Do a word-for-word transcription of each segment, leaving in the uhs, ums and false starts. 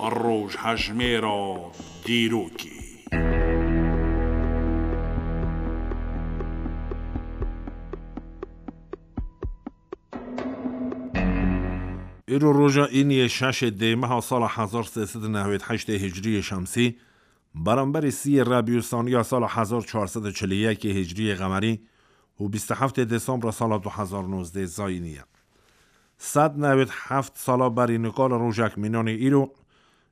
Rojhejmêra dîrokê. Îro roja îniyê şeşê dêmeha sala hezar sê sed û newêd heştê hicriyê şemsî, beramberî sîyê rebîusaniya sala hezar çar sed û çil û yekê hicriyê qemerî û bîst û heftê desembra sala du hezar nozdeh zayînî ye. Sed newêd heft sala berî nika li rojek mînanê îro,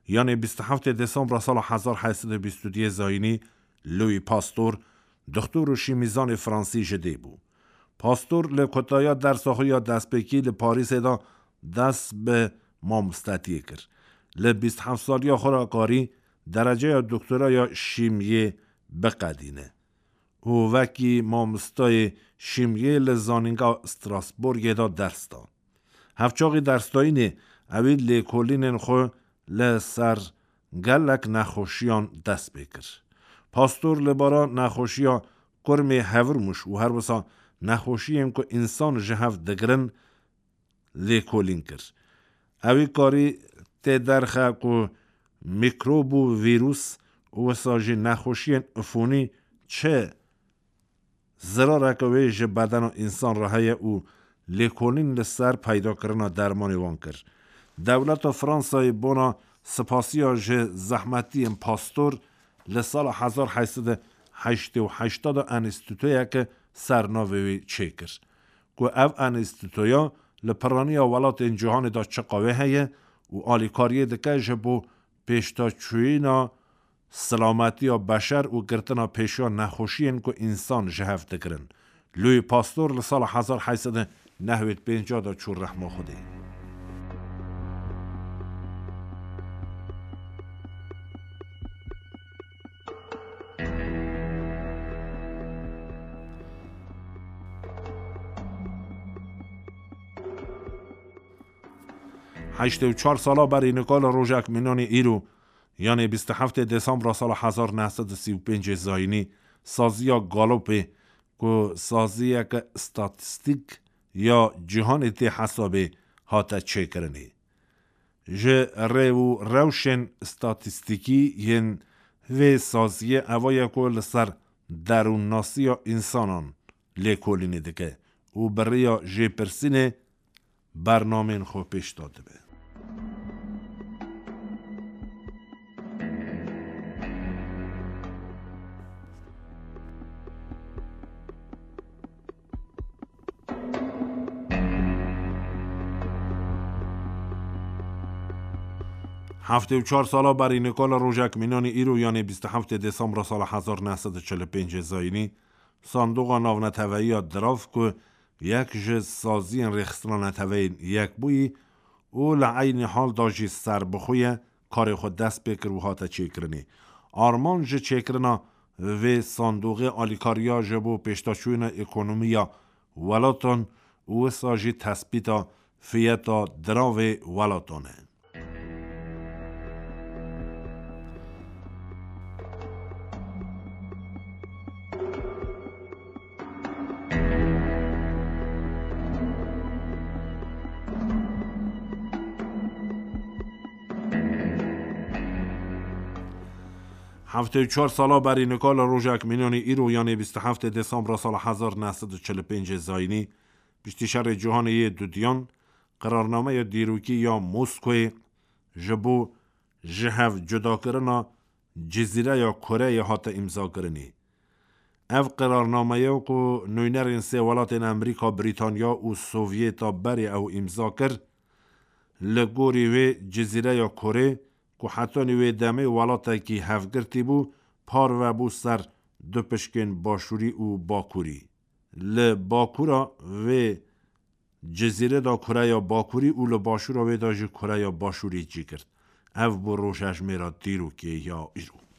yanê bîst û heftê desembra sala hezar heyt sed û bîst û duyê zayînî, Louis Pasteur, dixtor û şîmîzanê fransî ji dê bû. Pasteur li kutaya dersa xwe ya destpêkî li Parîsê de dest bi mamostetiyê kir. Li bîst heft saliya xwe re karî dereceya doktora ya şîmiyê biqedîne û wekî mamostayê şîmiyê li Zanînga Strasbourgê de ders da. Hevçaxî dersdayînê ewî lêkolînên xwe li ser gelek nexweşiyan dest pê kir. Pastor li bara nexweşiya kurmê hevir mûş û her wisa nexweşiyên ku însan ji hev digirin lêkolîn kir. Ewî karî tê derxe ku mîkrob û vîrus û wisa jî nexweşiyên ifonî çi zirareke wê ji bedena însan re heye û lêkolîn li ser peydakirina dermanê wan kir. Dewleta Fransayê bona sipasiya ji zehmetiyên Pastor li sala hezar heyt sed û heştê û heşt de enstîtuyeke ser navê wê çêkir, ku ev enstîtuya li piraniya welatên cîhanê de çiqa wê heye û alîkariyê dike ji bo pêşdaçûyîna silametiya beşer û girtina pêşiya nexweşiyên ku însan ji hev digirin. Louis Pasteur li sala hezar heyt sed û newêd pênc de çû rehma Xwedê. Heştê û çar sala berî nika li rojek mînanê îro, yanê bîst û heftê desembra sala hezar neh sed û sî û pêncê zayînî, saziya Galopê, ku saziyeke statîstîk ya cîhanê tê hesabê, hate çêkirinê. Ji rê û rewşên statîstîkî yên vê saziyê eva ye ku li ser derûnnasiya însanan lêkolînê dike û bi rêya jêpirsînê bernamên xwe pêş de dibe. Heftê û çar sala berî nika li rojek mînanî îro, yanê bîst û heftê desembra sala hezar neh sed û çil û pêncê zayînî, Sandoxa Navneteveyiya Dirav ku yek ji saziyên Rêxistina Neteweyên Yekbûyî û li eynî hal de jî serbixwe ye, karê xwe dest pê kir û hate çêkirinê. Armanc ji çêkirina vê sandoxê alîkariya ji bo pêşdaçûyîna ekonomiya welatan û wisa jî tespîta fiyeta diravê welatan e. Heftê û çar sala berî nika li rojek mînanî îro, yanê bîst û heftê desembra sala hezar neh sed û çil û pêncê zayînî, piştî şerê cîhanê yê dudiyan, qirarnameya dîrokî ya Moskoyê ji bo ji hev cudakirina Cizîreya Koreyê hate îmzakirinê. Ev qirarnameye ku nûnerên sê welatên Amerîka, Brîtanya û Sovyeta berê ew îmza kir, li gorî wê Cizîreya Korê, ku hetanî wê demê welatekî hevgirtî bû, parve bû ser du pişkên Başûrî û Bakurî. Li bakura vê cizîrê de Koreya Bakurî û li başûra wê de jî Koreya Başûrî cî girt. Ev bû rojhejmêra dîrokê ya îro.